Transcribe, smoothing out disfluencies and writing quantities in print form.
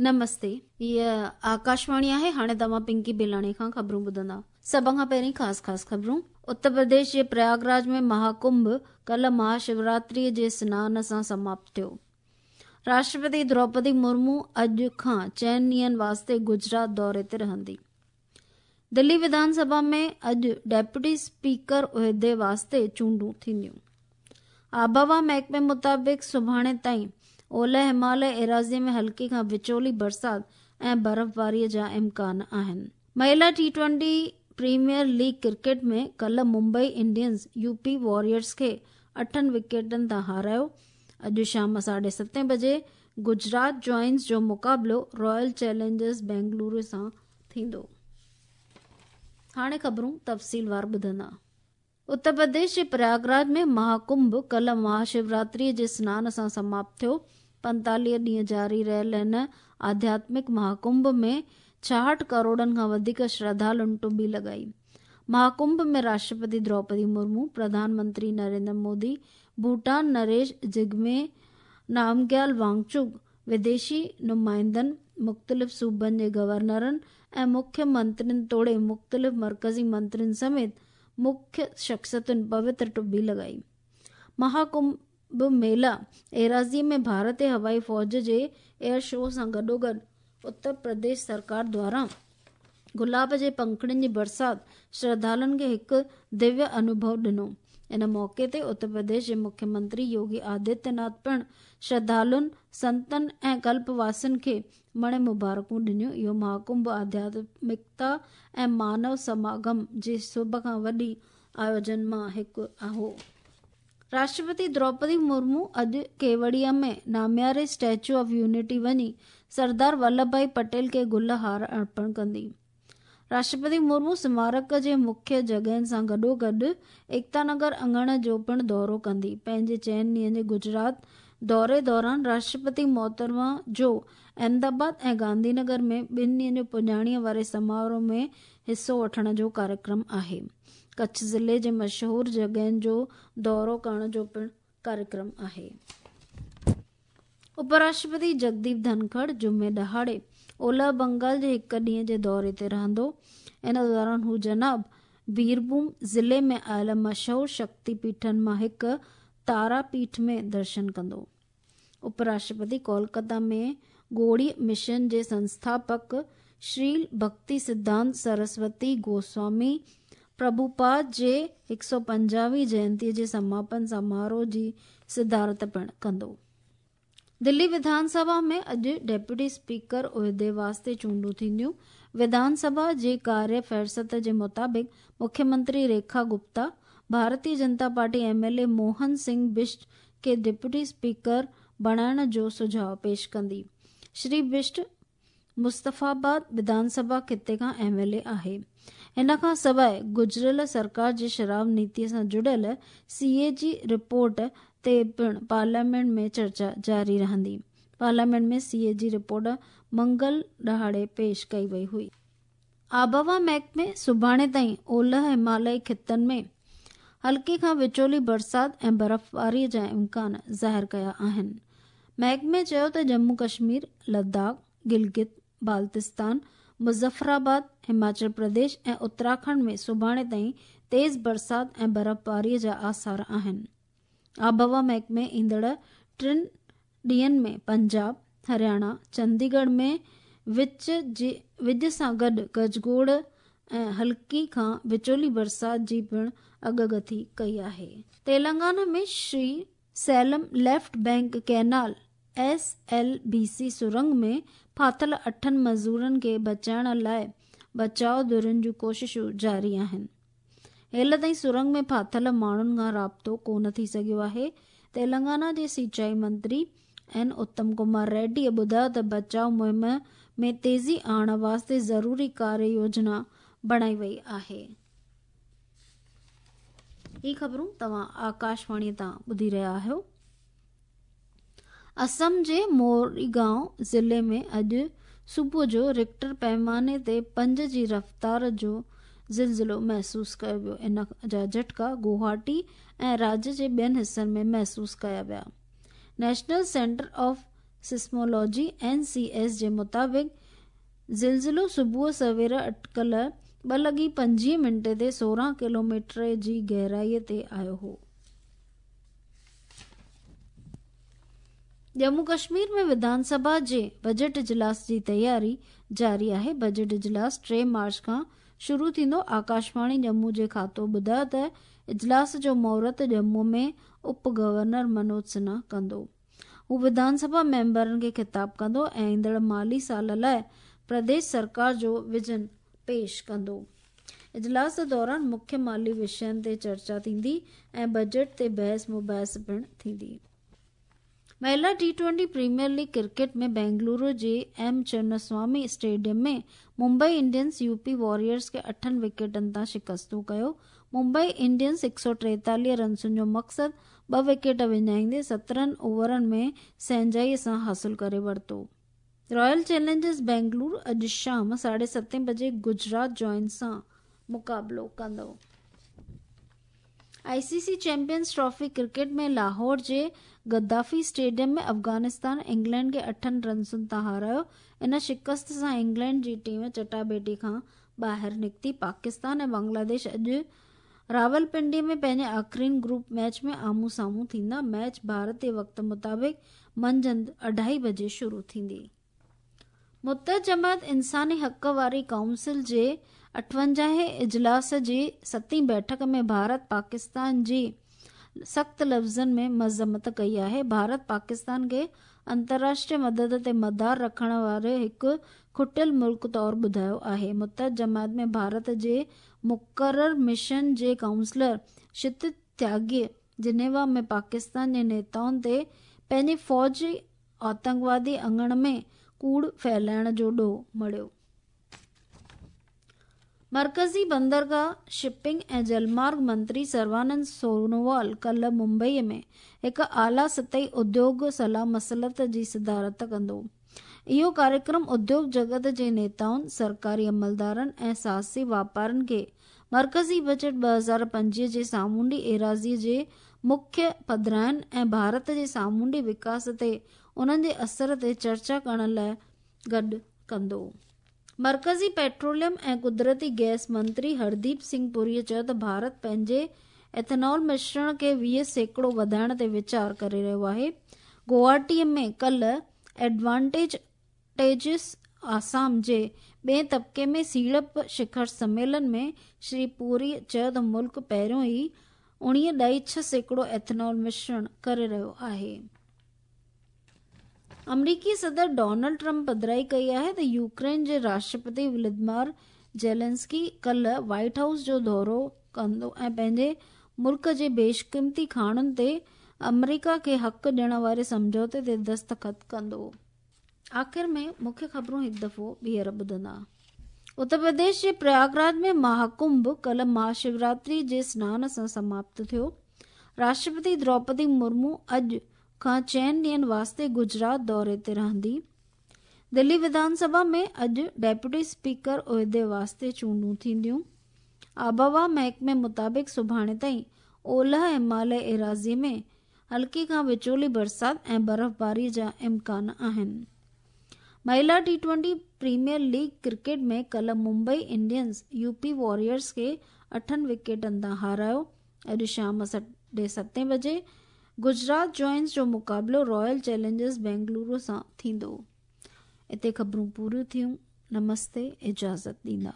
نمستي هيء آڪاشواڻي آهي هاڻي توهان پنڪي بيلاڻي کان خبرون ٻڌندا. سڀ کان پهرين خاص خاص خبرون. اتر پرديش جي پرياگراج ۾ مها ڪنڀ ڪلهه مها شوراتريء جي سنان سان سماپت ٿيو. راشٽرپتي دروپدي مرمو اڄ کان چئن ڏينهن واسطي گجرات دوري تي رهندي. دلي وڌان سڀا ۾ اڄ ڊپٽي اسپيڪر عهدي واسطي چونڊون ٿينديون. آبهوا محڪمي مطابق سڀاڻي تائين اولهه هماليه ايراضي ۾ هلڪي کان وچولي برسات ۽ برفباري جا امڪان آهن. مهلا T twenty premier league cricket ۾ ڪلهه Mumbai Indians U P Warriors کي اٺن وڪيٽن تان هارايو. اڄ شام ساڍي ستين بجي گجرات جوائنز جو مقابلو رائل چئلينجرز بينگلورو سان ٿيندو. هاڻي خبرون تفصيلوار ٻڌندا. اتر پرديش جي پرياگراج ۾ مها ڪنڀ ڪلهه مها شوراتريء جي سنان سان سماپت ٿيو. 45 ڏينهن جاري رهيل هن آڌياتمڪ مها ڪنڀ ۾ 66 ڪروڙن کان وڌيڪ شرڌالن ٽٻي لڳائي. مها ڪنڀ ۾ راشٽرپتي دروپدي مرمو، پرڌان منتري نريندر مودي، ڀوٽان نريش جگمي نامگيال وانگچوڪ، وديشي نمائندن، مختلف صوبن جي گورنرن ۽ مکيه منترين توڙي مختلف مرڪزي منترين سميت مکيه شخصيتن پوتر ٽٻي لڳائي. مها ڪنڀ ميلا ايراضي ۾ ڀارتي هوائي فوج جي ايئر شو سان گڏوگڏ اتر پرديش سرڪار دواران گلاب جي پنکڙين جي برسات شرڌالن کي هڪ دويه انوڀو ڏنو. ان موقعي تي اتر پرديش جي مکيه منتري يوگي آدتيه ناٿ پڻ شرڌالن، سنتن ۽ ڪلپ واسين کي مڻي مبارڪون ڏنيون. اهو مهاڪنڀ آڌياتمڪتا ۽ مانو سماگم جي سڀ کان وڏي آيوجن مان هڪ هو. راشٽرپتي دروپدي مرمو اڄ ڪيوڙيا ۾ نامياري اسٽيچو آف يونٽي وڃي سردار ولڀ ڀائي پٽيل کي گل هار ارپڻ ڪندي. راشٽرپتي مرمو سمارڪ جي مکيه جڳهين سان گڏوگڏ ايڪتا نگر اڱڻ جو پڻ دورو ڪندي. پنهنجي چئن ڏينهن جي گجرات دوري دوران راشٽرپتي محترمه جو احمدآباد ۽ گانڌي نگر ۾ ٻن ڏينهن جو پڄاڻيء واري سماروهه ۾ حصو وٺڻ جو ڪاريڪرم آهي. ڪڇ ضلعي جي مشهور جڳهين جو دورو ڪرڻ جو پڻ ڪاريڪرم آهي. اپراشٽرپتي جگديپ ڌنکڙ جمعي ڏهاڙي اولهه بنگال جي هڪ ڏينهن جي دوري تي رهندو. ان دوران هو جناب بيرڀوم ضلعي ۾ آيل مشهور شڪتي پيٺن مان هڪ تارا پيٺ ۾ درشن ڪندو. اپراشٽرپتي ڪولڪتا ۾ گوڙي مشن جي سنسٿاپڪ شريل ڀڪتي سڌانت سرسوتي گوسوامي پرڀوپاد جي 150 هين جينتي جي سماپن سماروهه جي صدارت پڻ ڪندو. دلي وڌان سڀا ۾ اڄ ڊپٽي اسپيڪر عهدي واسطي چونڊون ٿينديون. وڌان سڀا جي ڪاريه فهرست جي مطابق مکيه منتري Rekha Gupta, Bharatiya Janata party M L A Mohan Singh Bisht کي ڊپٽي اسپيڪر بڻائڻ جو سجهاء پيش ڪندي. شري بشٽ مصطفيٰ آباد وڌان سڀا خطي کان ايم ايل اي آهي. ان کان سواء گذريل سرڪار جي شراب نيتي سان جڙيل سي اي جي رپورٽ تي پڻ پارليامينٽ ۾ چرچا جاري رهندي. پارليامينٽ ۾ سي اي جي رپورٽ منگل ڏهاڙي پيش ڪئي وئي هئي. آبهوا محڪمي سڀاڻي تائين اولهه همالئي خطن ۾ هلڪي کان وچولي برسات ۽ برفباري جا امڪان ظاهر ڪيا آهن. محڪمي چيو ته ڄمون ڪشمير، لداخ، گلگت بالتستان، مظفرآباد، هماچل پرديش ۽ اتراکنڊ ۾ سڀاڻي تائين تيز برسات ۽ برفباري جا آثار آهن. آبهوا محڪمي ايندڙ ٽن ڏينهن ۾ پنجاب، هرياڻا، چنديڳڙهه ۾ وچ جي وڄ سان گڏ گجگوڙ ۽ هلڪي کان وچولي برسات جي پڻ اڳڪٿي ڪئي آهي. Telangana ۾ Srisailam left bank canal, S L B C, سرنگ ۾ ڦاٿل اٺن مزورن کي بچائڻ لاء بچاء ڌرين جون ڪوششون جاري آهن. هيل تائين سرنگ ۾ ڦاٿل ماڻهن کان رابطو ڪونه ٿي سگهيو آهي. تيلنگانا جي سينچائي منتري اين اتم ڪمار ريڊيء ٻڌايو ته بچاء مهم ۾ تيزي آڻڻ واسطي ضروري ڪاريه يوجنا بڻائي وئي آهي. هي خبرون توهان آڪاشواڻيء تان ٻڌي رهيا آهيو. اسم جي موريگائون ضلعي ۾ اڄ صبح جو رڪٽر پئماني تي پنج جي رفتار جو زلزلو محسوس ڪيو ويو. ان جا جهٽڪا گوهاٽي ۽ راڄ جي ٻين حصن ۾ محسوس ڪيا ويا. National centre of seismology, N C S, جي مطابق زلزلو صبح سوير اٽڪل 2:25 تي 16 ڪلوميٽر جي گهرائي تي آيو هو. ڄمون ڪشمير ۾ وڌان سڀا جي بجيٽ اجلاس جي تياري جاري آهي. بجيٽ اجلاس 3 مارچ کان شروع ٿيندو. آڪاشواڻي ڄمون جي کاتو ٻڌايو ته اجلاس جو مهورت ڄمون ۾ اپ گورنر منوج سنها ڪندو. هو وڌان سڀا ميمبرن کي خطاب ڪندو ۽ ايندڙ مالي سال لاء پرديش سرڪار جو ويزن پيش ڪندو. اجلاس دوران مکيه مالي وشين تي چرچا ٿيندي ۽ بجيٽ تي بحث مباحث پڻ ٿيندي. مهلا T twenty premier league cricket ۾ Bengaluru جي M Chinnaswamy stadium ۾ Mumbai Indians U P Warriors کي اٺن وڪيٽن تان شڪستون ڪيو. ممبئي انڊينز 143 رنسن جو مقصد ٻه وڪيٽ وڃائيندي 17 اوورن ۾ سهنجائي سان حاصل ڪري ورتو. رائل چئلينجرز بينگلورو اڄ شام 7:30 بجي گجرات جائنٽس سان مقابلو ڪندو. I C C champions trophy cricket ۾ Lahore جي گدافي اسٽيڊيم ۾ افغانستان انگلينڊ کي اٺن رنسن تان هارايو. ان شڪست سان انگلينڊ جي ٽيم چٽاڀيٽي کان ٻاهر نڪتي. پاڪستان ۽ بنگلاديش اڄ راولپنڊي ۾ پنهنجي آخرين گروپ ميچ ۾ آمهون سامهون ٿيندا. ميچ ڀارتي وقت مطابق منجهند 2:30 بجي شروع ٿيندي. متحده جماعت انساني حق واري ڪائونسل جي 58هين اجلاس جي ستين بيٺڪ ۾ ڀارت پاڪستان جي سخت لفظن ۾ مذمت ڪئي آهي. ڀارت پاڪستان کي انترراشٽريه مدد تي مدار رکڻ واري هڪ کٽيل ملڪ طور ٻڌايو آهي. متحده جماعت ۾ ڀارت جي مقرر مشن جي ڪائونسلر شتت تياڳي جنيوا ۾ پاڪستان جي نيتائن تي پنهنجي فوجي آتنڪوادي اڱڻ ۾ ڪوڙ ڦهلائڻ جو ڏوهه مڙهيو. مرڪزي بندرگاهه، شپنگ ۽ جلمارگ منتري سروانند سونووال ڪلهه ممبئي ۾ هڪ اعليٰ سطحي اديوگ صلاح مصلحت جي صدارت ڪندو. اهو ڪاريڪرم اديوگ جڳت جي نيتائن، سرڪاري عملدارن ۽ ساهسي واپارين کي مرڪزي بجيٽ 2025 جي سامونڊي ايراضي جي مکيه پڌراين ۽ ڀارت جي سامونڊي وڪاس تي انهن جي اثر تي چرچا ڪرڻ لاء گڏ ڪندو. مرڪزي پيٽروليم ۽ قدرتي گئس منتري هرديپ سنگهه پوري چيو ته ڀارت پنهنجي ايٿنول مشرڻ کي 20% وڌائڻ تي ويچار ڪري رهيو آهي. گوهاٽي ۾ ڪلهه ايڊوانٽيج ٽيجس آسام جي ٻئين طبقي ۾ سيڙپ شکر سميلن ۾ شري پوري چيو ته ملڪ پهريون ئي 19.6% ايٿنول مشرڻ ڪري رهيو آهي. آمريڪي صدر ڊونلڊ ٽرمپ پڌرائي ڪئي آهي ته يوڪرين جي راشٽرپتي ولاديمير زيلنسڪي ڪلهه وائيٽ هائوس جو دورو ڪندو ۽ پنهنجي ملڪ جي بيشقيمتي کاڻن تي آمريڪا کي حق ڏيڻ واري سمجهوتي تي دستخط ڪندو. آخر ۾ مکيه خبرون هڪ دفعو ٻيهر ٻڌندا. اتر پرديش جي پرياگراج ۾ مهاڪنڀ ڪلهه مهاشوراتري جي سنان سان سماپت ٿيو. راشٽرپتي دروپدي مرمو اڄ کان چئن ڏينهن واسطي گجرات دوري تي رهندي. دلي وڌان سڀا ۾ اڄ ڊيپوٽي اسپيڪر عهدي واسطي چونڊون ٿينديون. آبهوا محڪمي مطابق سڀاڻي تائين اولهه هماليه ايراضي ۾ هلڪي کان وچولي برسات ۽ برفباري جا امڪان آهن. مهلا T twenty premier league cricket ۾ ڪلهه Mumbai Indians U P Warriors کي اٺن وڪيٽن تان هارايو. اڄ شام 7:30 بجي گجرات جوائنٽس جو مقابلو رائل چئلينجرز بينگلورو سان ٿيندو. اتي خبرون پوريون ٿيون. نمستي اجازت ڏيندا.